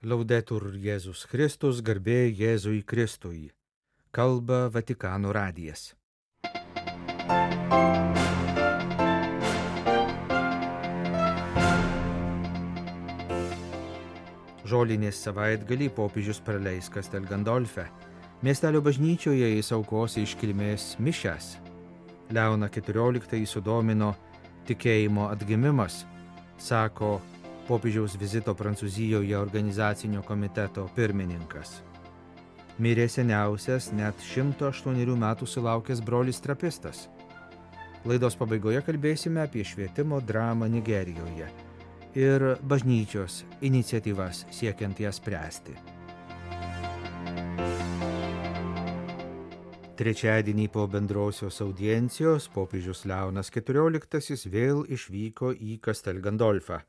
Laudetur Jėzus Kristus, garbė Jėzui Kristui. Kalba Vatikano radijas. Žolinės savaitgalį popiežius praleis Castel Gandolfe. Miestelio bažnyčioje jis aukos iškilmės mišias. Leoną XIV sudomino tikėjimo atgimimas, sako popiežiaus vizito Prancūzijoje organizacinio komiteto pirmininkas. Mirė seniausias, net 108 metų sulaukęs brolis trapistas. Laidos pabaigoje kalbėsime apie švietimo dramą Nigerijoje ir bažnyčios iniciatyvas siekiant ją spręsti. Trečiadienį po bendrosios audiencijos popiežius Leonas XIV vėl išvyko į Castel Gandolfą,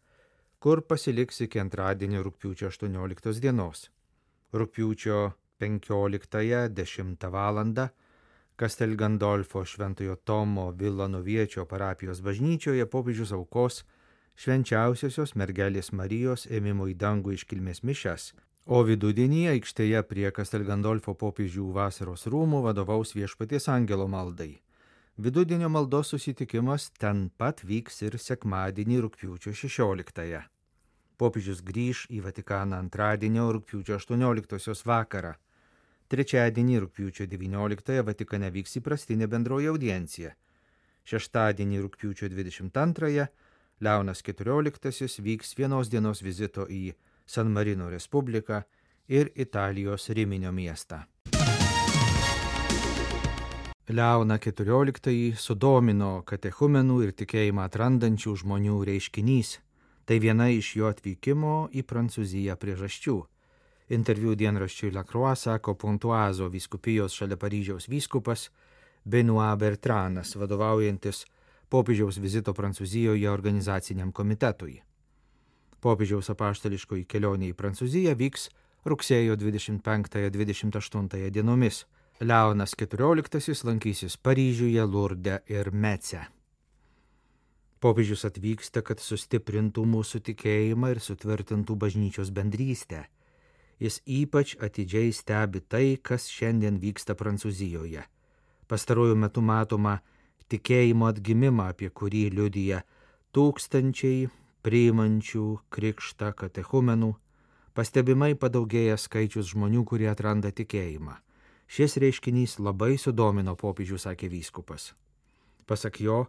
kur pasiliks iki antradienio rugpjūčio 18 dienos. Rugpjūčio 15:10 val. Castel Gandolfo Šventojo Tomo Vilanoviečio parapijos bažnyčioje popiežius aukos švenčiausiosios mergelės Marijos ėmimo į dangų iškilmės mišias, o vidudienį aikštėje prie Castel Gandolfo popiežių vasaros rūmų vadovaus Viešpaties angelo maldai. Vidudienio maldos susitikimas ten pat vyks ir sekmadienį rugpjūčio 16. Popiežius grįš į Vatikaną antradienio rugpjūčio 18 vakarą. Trečiadienį rugpjūčio 19 Vatikane vyks įprastinė bendroji audiencija. Šeštadienį rugpjūčio 22 Leonas XIV vyks vienos dienos vizito į San Marino Respubliką ir Italijos Riminio miestą. Leoną XIV sudomino katechumenų ir tikėjimą atrandančių žmonių reiškinys. Tai viena iš jo atvykimo į Prancūziją priežasčių. Interviu dienraščiui La Croix sako Pontoazo vyskupijos šalia Paryžiaus vyskupas Benoît Bertranas, vadovaujantis popiežiaus vizito Prancūzijoje organizaciniam komitetui. Popiežiaus apaštališkoji kelionė į Prancūziją vyks rugsėjo 25-28 dienomis. Leonas XIV lankysis Paryžiuje, Lurde ir Mece. Popiežius atvyksta, kad sustiprintų mūsų tikėjimą ir sutvirtintų bažnyčios bendrystę. Jis ypač atidžiai stebi tai, kas šiandien vyksta Prancūzijoje. Pastaruoju metu matoma tikėjimo atgimimą, apie kurį liudija tūkstančiai priimančių krikštą katechumenų, pastebimai padaugėja skaičius žmonių, kurie atranda tikėjimą. Šis reiškinys labai sudomino popiežių, sakė vyskupas. Pasak jo,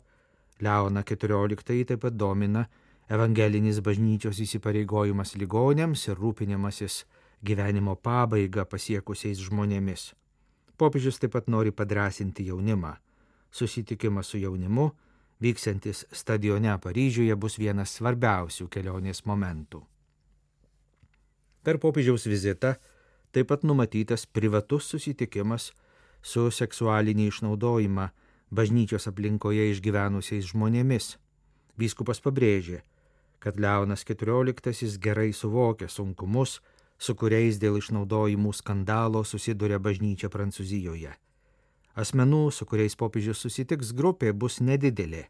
Leoną XIV taip pat domina evangelinis bažnyčios įsipareigojimas ligoniams ir rūpinimasis gyvenimo pabaigą pasiekusiais žmonėmis. Popiežius taip pat nori padrasinti jaunimą. Susitikimas su jaunimu, vyksiantis stadione Paryžiuje, bus vienas svarbiausių kelionės momentų. Per popiežiaus vizitą taip pat numatytas privatus susitikimas su seksualinį išnaudojimą bažnyčios aplinkoje išgyvenusiais žmonėmis. Vyskupas pabrėžė, kad Leonas XIV gerai suvokia sunkumus, su kuriais dėl išnaudojimų skandalo susiduria bažnyčia Prancūzijoje. Asmenų, su kuriais popiežius susitiks, grupė bus nedidelė,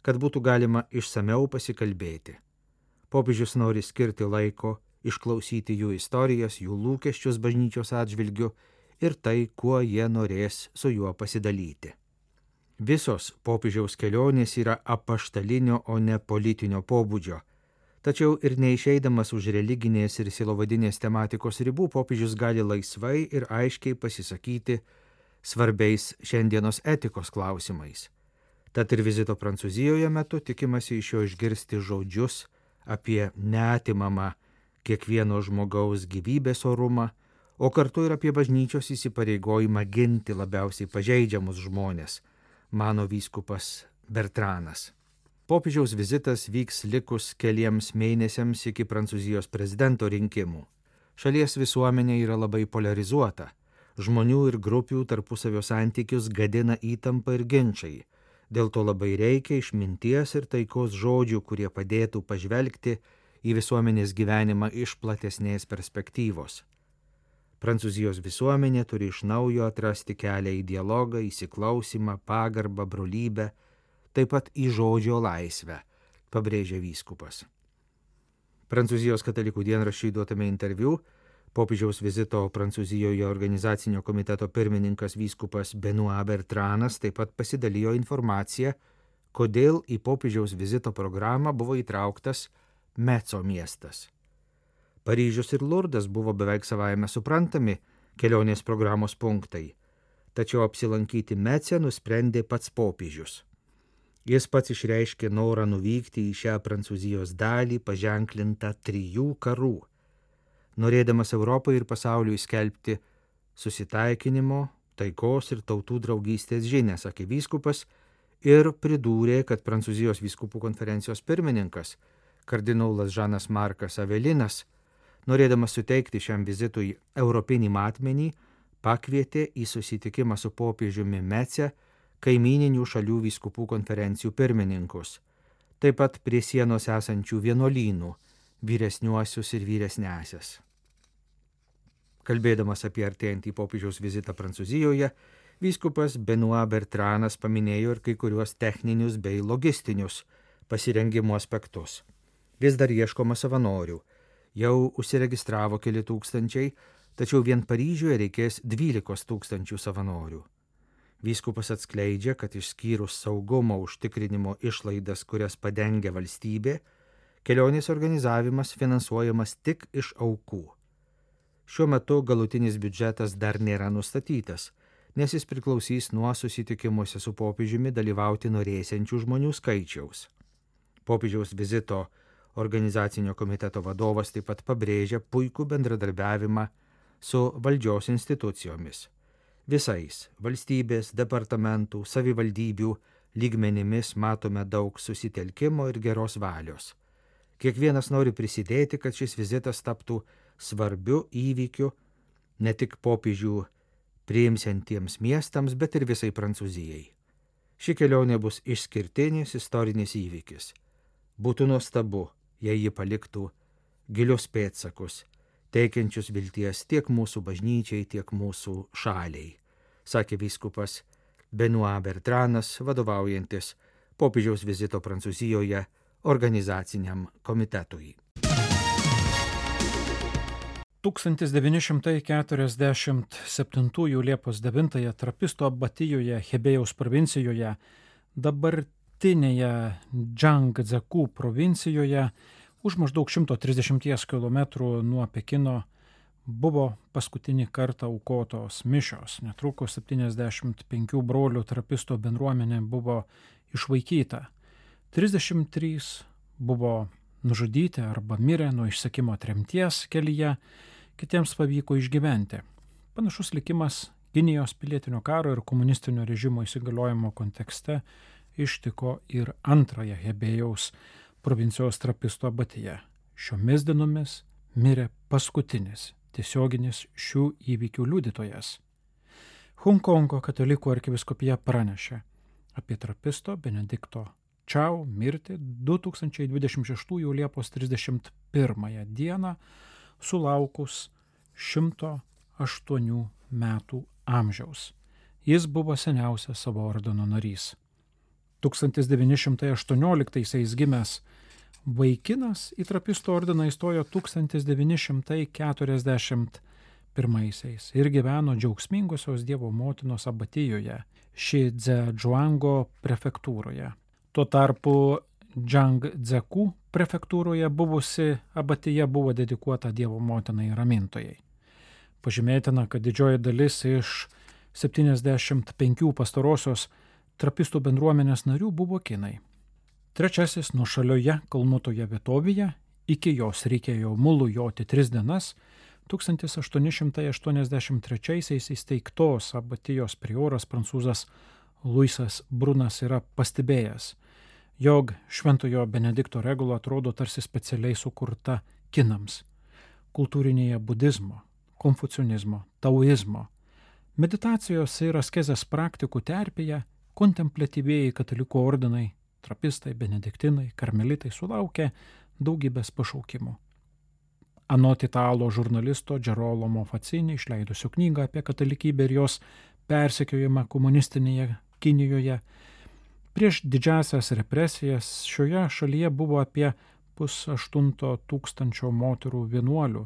kad būtų galima išsameu pasikalbėti. Popiežius nori skirti laiko, išklausyti jų istorijas, jų lūkesčius bažnyčios atžvilgiu ir tai, kuo jie norės su juo pasidalyti. Visos popiežiaus kelionės yra apaštalinio, o ne politinio pobūdžio. Tačiau ir neišeidamas už religinės ir sielovadinės tematikos ribų, popiežius gali laisvai ir aiškiai pasisakyti svarbiais šiandienos etikos klausimais. Tad ir vizito Prancūzijoje metu tikimasi iš jo išgirsti žodžius apie neatimamą kiekvieno žmogaus gyvybės orumą, o kartu ir apie bažnyčios įsipareigojimą ginti labiausiai pažeidžiamus žmones, mano vyskupas Bertranas. Popiežiaus vizitas vyks likus keliems mėnesiams iki Prancūzijos prezidento rinkimų. Šalies visuomenė yra labai polarizuota. Žmonių ir grupių tarpusavio santykius gadina įtampa ir ginčai. Dėl to labai reikia išminties ir taikos žodžių, kurie padėtų pažvelgti į visuomenės gyvenimą iš platesnės perspektyvos. Prancūzijos visuomenė turi iš naujo atrasti kelią į dialogą, įsiklausimą, pagarbą, brolybę, taip pat į žodžio laisvę, pabrėžė vyskupas. Prancūzijos katalikų dienraščiui duotame interviu popiežiaus vizito Prancūzijoje organizacinio komiteto pirmininkas vyskupas Benoît Bertranas taip pat pasidalijo informaciją, kodėl į popiežiaus vizito programą buvo įtrauktas Meco miestas. Paryžius ir Lurdas buvo beveik savaime suprantami kelionės programos punktai, tačiau apsilankyti Mece nusprendė pats popiežius. Jis pats išreiškė norą nuvykti į šią Prancūzijos dalį paženklintą 3 karų, norėdamas Europai ir pasauliui skelbti susitaikinimo, taikos ir tautų draugystės žinią, sakė vyskupas ir pridūrė, kad Prancūzijos vyskupų konferencijos pirmininkas, kardinolas Žanas Markas Avelinas, norėdamas suteikti šiam vizitui europinį matmenį, pakvietė į susitikimą su popiežiumi Mece kaimyninių šalių vyskupų konferencijų pirmininkus, taip pat prie sienos esančių vienuolynų, vyresniuosius ir vyresnesias. Kalbėdamas apie artėjantį popiežiaus vizitą Prancūzijoje, vyskupas Benoît Bertranas paminėjo ir kai kuriuos techninius bei logistinius pasirengimo aspektus. Vis dar ieškoma savanorių, jau užsiregistravo keli tūkstančiai, tačiau vien Paryžiuje reikės 12 000 savanorių. Vyskupas atskleidžia, kad išskyrus saugumo užtikrinimo išlaidas, kurias padengia valstybė, kelionės organizavimas finansuojamas tik iš aukų. Šiuo metu galutinis biudžetas dar nėra nustatytas, nes jis priklausys nuo susitikimuose su popiežiumi dalyvauti norėsiančių žmonių skaičiaus. Popiežiaus vizito organizacinio komiteto vadovas taip pat pabrėžia puikų bendradarbiavimą su valdžios institucijomis. Visais valstybės, departamentų, savivaldybių lygmenimis matome daug susitelkimo ir geros valios. Kiekvienas nori prisidėti, kad šis vizitas taptų svarbiu įvykiu ne tik popiežių priimsiantiems miestams, bet ir visai Prancūzijai. Ši kelionė bus išskirtinis istorinis įvykis. Būtų nuostabu, jei ji paliktų gilius pėdsakus, teikiančius vilties tiek mūsų bažnyčiai, tiek mūsų šaliai, sakė vyskupas Benoît Bertranas, vadovaujantis popiežiaus vizito Prancūzijoje organizaciniam komitetui. 1947 Liepos 9 Trapisto abatijoje Hebėjaus provincijoje, dabartinėje Džangdzeku provincijoje, už maždaug 130 km nuo Pekino buvo paskutinį kartą aukotos mišios. Netrukus 75 brolių trapisto bendruomenė buvo išvaikyta. 33 buvo nužudyti arba mirė nuo išsekimo tremties kelyje, kitiems pavyko išgyventi. Panašus likimas Kinijos pilietinio karo ir komunistinio režimo įsigaliojimo kontekste ištiko ir antrąją Hebėjaus provincijos trapisto abatiją. Šiomis dienomis mirė paskutinis tiesioginis šių įvykių liudytojas. Honkongo katalikų arkivyskupija pranešė apie trapisto Benedikto Čiau mirtį 2026 Liepos 31 dieną sulaukus 108 metų amžiaus. Jis buvo seniausias savo ordino narys. 1918 gimęs vaikinas į trapisto ordiną įstojo 1941 ir gyveno džiaugsmingosios Dievo motinos abatijoje, Šidzežuango prefektūroje. Tuo tarpu Džangdzeku prefektūroje buvusi abatija buvo dedikuota Dievo motinai ramintojai. Pažymėtina, kad didžioji dalis iš 75 pastarosios trapistų bendruomenės narių buvo kinai. Trečiasis nuošalioje kalnuotoje vietovėje, iki jos reikėjo mulu joti 3 dienas, 1883 įsteigtos abatijos prioras prancūzas Luisas Brunas yra pastebėjęs, jog Šventojo Benedikto regula atrodo tarsi specialiai sukurta kinams, kultūrinėje budizmo, konfucionizmo, taoizmo, meditacijos ir askezės praktikų terpėje kontempliatyvieji katalikų ordinai, trapistai, benediktinai, karmelitai sulaukė daugybės pašaukimų. Anot italo žurnalisto Gerolamo Facini išleidusio knygą apie katalikybę ir jos persekiojimą komunistinėje Kinijoje, prieš didžiasias represijas šioje šalyje buvo apie 2,8 moterų vienuolių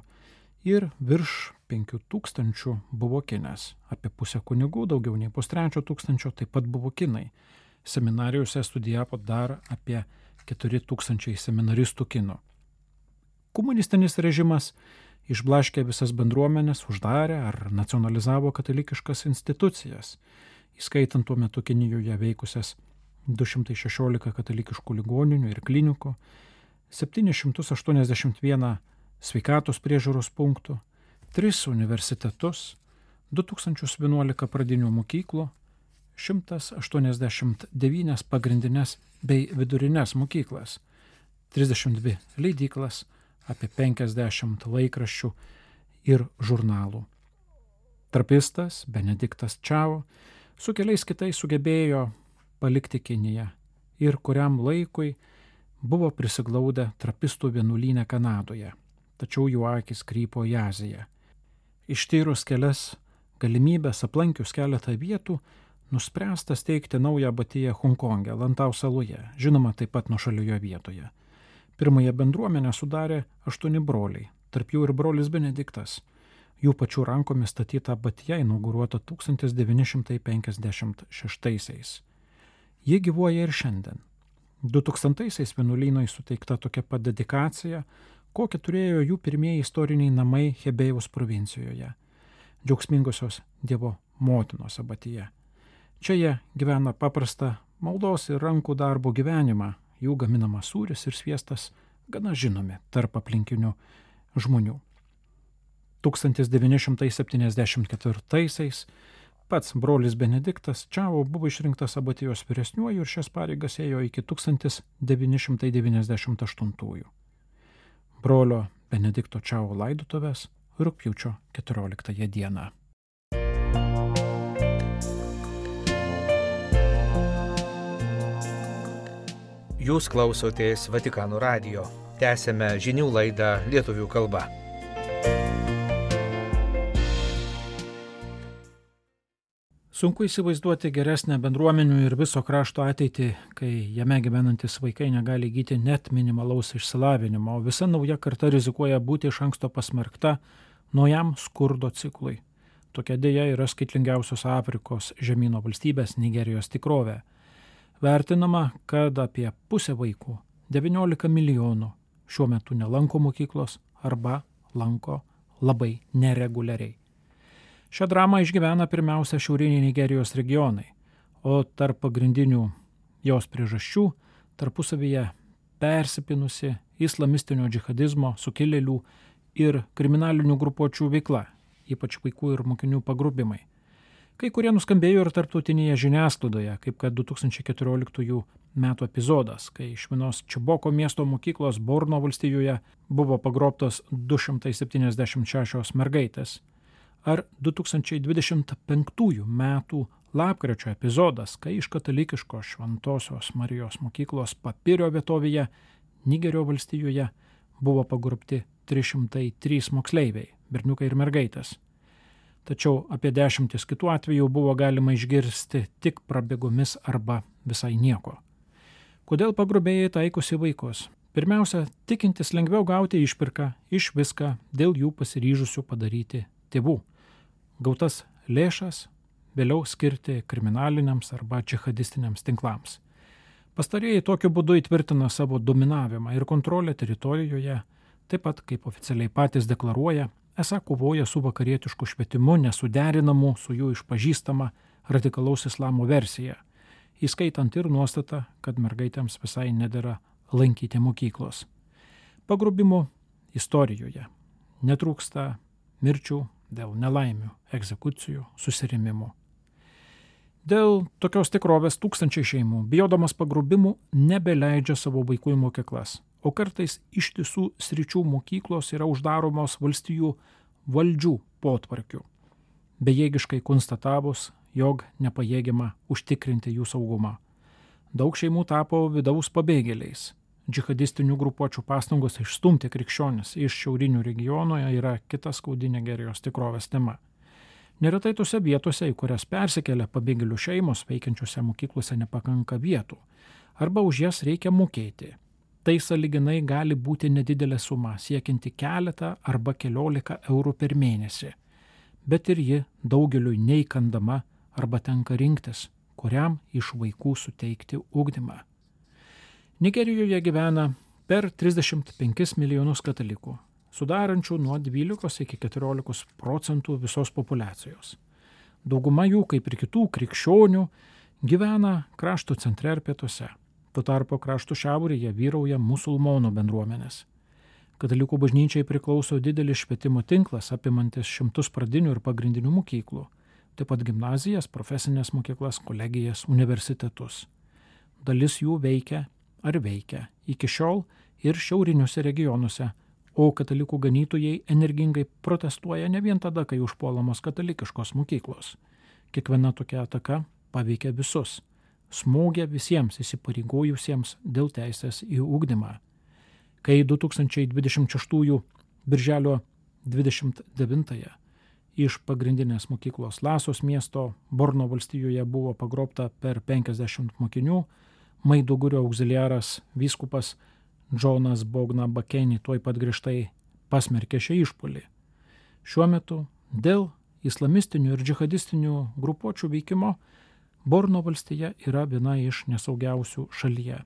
ir virš 5,000 buvo kinės. Apie pusę kunigų, daugiau nei 3,5 taip pat buvo kinai. Seminarijose studijavo dar apie 4,000 seminaristų kinų. Komunistinis režimas išblaškė visas bendruomenės, uždarė ar nacionalizavo katalikiškas institucijas, įskaitant tuo metu Kinijoje veikusias 216 katalikiškų ligoninių ir klinikų, 781 sveikatos priežiūros punktų, 3 universitetus, 2011 pradinių mokyklų, 189 pagrindinės bei vidurinės mokyklas, 32 leidyklas, apie 50 laikraščių ir žurnalų. Trapistas Benediktas Čiao su keliais kitais sugebėjo palikti Kiniją ir kuriam laikui buvo prisiglaudę trapistų vienuolyne Kanadoje, tačiau jų akys krypo į Aziją. Ištyrus kelias galimybės, aplankius keletą vietų, nuspręsta steigti naują abatiją Honkonge, Lantau saloje, žinoma taip pat nuošalioje vietoje. Pirmąją bendruomenę sudarė 8 broliai, tarp jų ir brolis Benediktas. Jų pačių rankomis statyta abatija inauguruota 1956. Ji gyvuoja ir šiandien. 2000-aisiais vienuolynui suteikta tokia pat dedikacija, kokią turėjo jų pirmieji istoriniai namai Hebėjaus provincijoje, Džiaugsmingosios Dievo motinos abatija. Čia jie gyvena paprastą maldos ir rankų darbo gyvenimą, jų gaminamas sūris ir sviestas gana žinomi tarp aplinkinių žmonių. 1974-aisiais pats brolis Benediktas Čiao buvo išrinktas abatijos vyresniuoju ir šias pareigas ėjo iki 1998. Brolio Benedikto Čiao laidotuvės rugpjūčio 14 dieną. Jūs klausotės Vatikano radijo. Tęsėme žinių laidą lietuvių kalba. Sunku įsivaizduoti geresnę bendruomenių ir viso krašto ateitį, kai jame gyvenantis vaikai negali įgyti net minimalaus išsilavinimo, o visa nauja karta rizikuoja būti iš anksto pasmerkta naujam skurdo ciklui. Tokia dėja yra skaitlingiausios Afrikos žemyno valstybės Nigerijos tikrovė. Vertinama, kad apie pusę vaikų, 19 milijonų, šiuo metu nelanko mokyklos arba lanko labai nereguliariai. Šią dramą išgyvena pirmiausia šiauriniai Nigerijos regionai, o tarp pagrindinių jos priežasčių tarpusavyje persipinusi islamistinio džihadizmo, sukilėlių ir kriminalinių grupuočių veikla, ypač vaikų ir mokinių pagrobimai. Kai kurie nuskambėjo ir tarptautinėje žiniasklaidoje, kaip kad 2014 metų epizodas, kai iš vienos Čiboko miesto mokyklos Borno valstijoje buvo pagrobtos 276 mergaitės, ar 2025 metų lapkričio epizodas, kai iš katalikiškos Šventosios Marijos mokyklos Papirio vietovėje Nigerio valstijoje buvo pagrobti 303 moksleiviai, berniukai ir mergaitės. Tačiau apie 10 kitų atvejų buvo galima išgirsti tik prabėgomis arba visai nieko. Kodėl pagrobėjai taikosi vaikus? Pirmiausia, tikintis lengviau gauti išpirką iš viską dėl jų pasiryžusių padaryti tėvų. Gautas lėšas vėliau skirti kriminaliniams arba džihadistiniams tinklams. Pastarieji tokiu būdu įtvirtina savo dominavimą ir kontrolę teritorijoje, taip pat, kaip oficialiai patys deklaruoja, esą kovoja su vakarietišku švietimu nesuderinamu su jų išpažįstama radikalaus islamo versija, įskaitant ir nuostatą, kad mergaitėms visai nedera lankyti mokyklos. Pagrobimų istorijoje netrūksta mirčių dėl nelaimių, egzekucijų, susirėmimų. Dėl tokios tikrovės tūkstančiai šeimų, bijodamas pagrobimų, nebeleidžia savo vaikų į mokyklas, o kartais ištisų sričių mokyklos yra uždaromos valstijų valdžių potvarkių, bejėgiškai konstatavus, jog nepajėgiama užtikrinti jų saugumą. Daug šeimų tapo vidaus pabėgėliais. Džihadistinių grupuočių pastangos išstumti krikščionis iš šiaurinių regionų yra kita skaudi Nigerijos tikrovės tema. Neretai tose vietose, į kurias persikelia pabėgėlių šeimos, veikiančiose mokyklose nepakanka vietų, arba už jas reikia mokėti. Tai sąlyginai gali būti nedidelė suma, siekianti keletą arba keliolika eurų per mėnesį, bet ir ji daugeliui neįkandama arba tenka rinktis, kuriam iš vaikų suteikti ugdymą. Nigerijoje gyvena per 35 milijonus katalikų, sudarančių nuo 12 iki 14% visos populiacijos. Dauguma jų, kaip ir kitų krikščionių, gyvena krašto centre ir pietuose. Tuo tarpu krašto šiaurėje vyrauja musulmonų bendruomenės. Katalikų bažnyčiai priklauso didelis švietimo tinklas, apimantis šimtus pradinių ir pagrindinių mokyklų, taip pat gimnazijas, profesinės mokyklas, kolegijas, universitetus. Dalis jų veikia iki šiol ir šiauriniuose regionuose, o katalikų ganytojai energingai protestuoja ne vien tada, kai užpuolamos katalikiškos mokyklos. Kiekviena tokia ataka paveikia visus, smogia visiems įsipareigojusiems dėl teisės į ugdymą. Kai 2026 birželio 29 iš pagrindinės mokyklos Lasos miesto Borno valstijoje buvo pagrobta per 50 mokinių, Maidugurio auxiliaras vyskupas Džonas Bogna Bakeni tuoj pat griežtai pasmerkė šią išpuolį. Šiuo metu dėl islamistinių ir džihadistinių grupuočių veikimo Borno valstija yra viena iš nesaugiausių šalyje.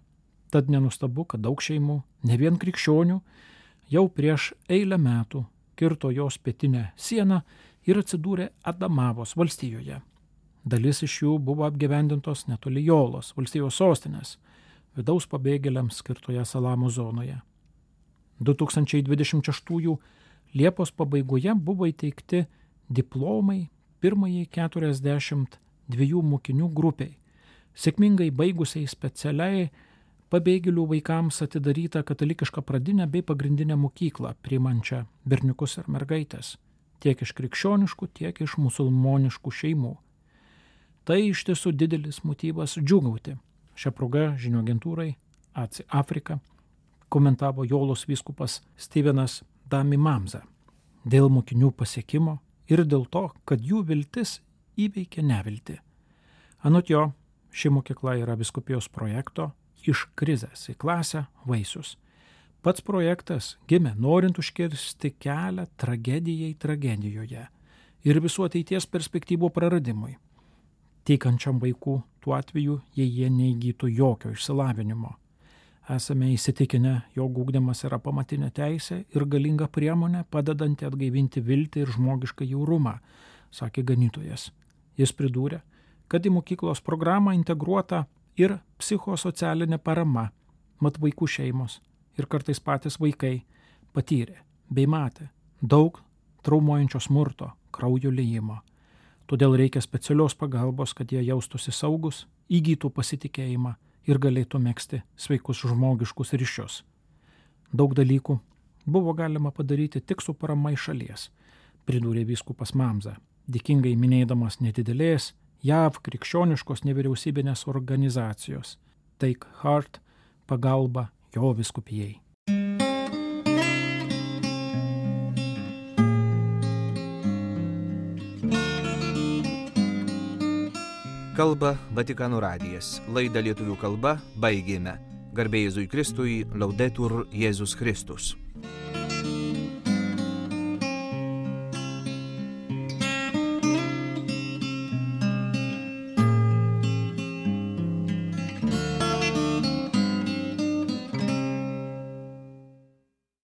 Tad nenustabu, kad daug šeimų, ne vien krikščionių, jau prieš eilę metų kirto jos pietinę sieną ir atsidūrė Adamavos valstijoje. Dalis iš jų buvo apgyvendintos netoli Jolos, valstijos sostinės, vidaus pabėgėliams skirtoje Salamo zonoje. 2026 Liepos pabaigoje buvo įteikti diplomai pirmajai 42 mokinių grupiai, sėkmingai baigusiai specialiai pabėgėlių vaikams atidarytą katalikišką pradinę bei pagrindinę mokyklą, priimančią berniukus ir mergaitės, tiek iš krikščioniškų, tiek iš musulmoniškų šeimų. Tai iš tiesų didelis motyvas džiūgauti. Šią progą žinių agentūrai ACI Afrika komentavo Jolos vyskupas Stevenas Dami Mamza dėl mokinių pasiekimo ir dėl to, kad jų viltis įveikė neviltį. Anot jo, ši mokykla yra vyskupijos projekto iš krizės į klasę vaisius. Pats projektas gimė norint užkirsti kelią tragedijai tragedijoje ir visų ateities perspektyvų praradimui. Teikančiam vaikų tuo atveju, jei jie neįgytų jokio išsilavinimo. Esame įsitikinę, jog ugdymas yra pamatinė teisė ir galinga priemonė padedanti atgaivinti viltį ir žmogišką jaurumą, sakė ganytojas. Jis pridūrė, kad į mokyklos programą integruota ir psichosocialinė parama, mat vaikų šeimos ir kartais patys vaikai patyrė bei matė daug traumuojančio smurto, kraujo liejimo. Todėl reikia specialios pagalbos, kad jie jaustųsi saugus, įgytų pasitikėjimą ir galėtų megzti sveikus žmogiškus ryšius. Daug dalykų buvo galima padaryti tik su parama iš šalies, pridūrė vyskupas Mamza, dėkingai minėdamas nedidelės JAV krikščioniškos nevyriausybinės organizacijos Take Heart pagalba jo vyskupijai. Kalba Vatikano radijas. Laidą lietuvių kalba baigėme. Garbė Jėzui Kristui, Laudetur Jėzus Kristus.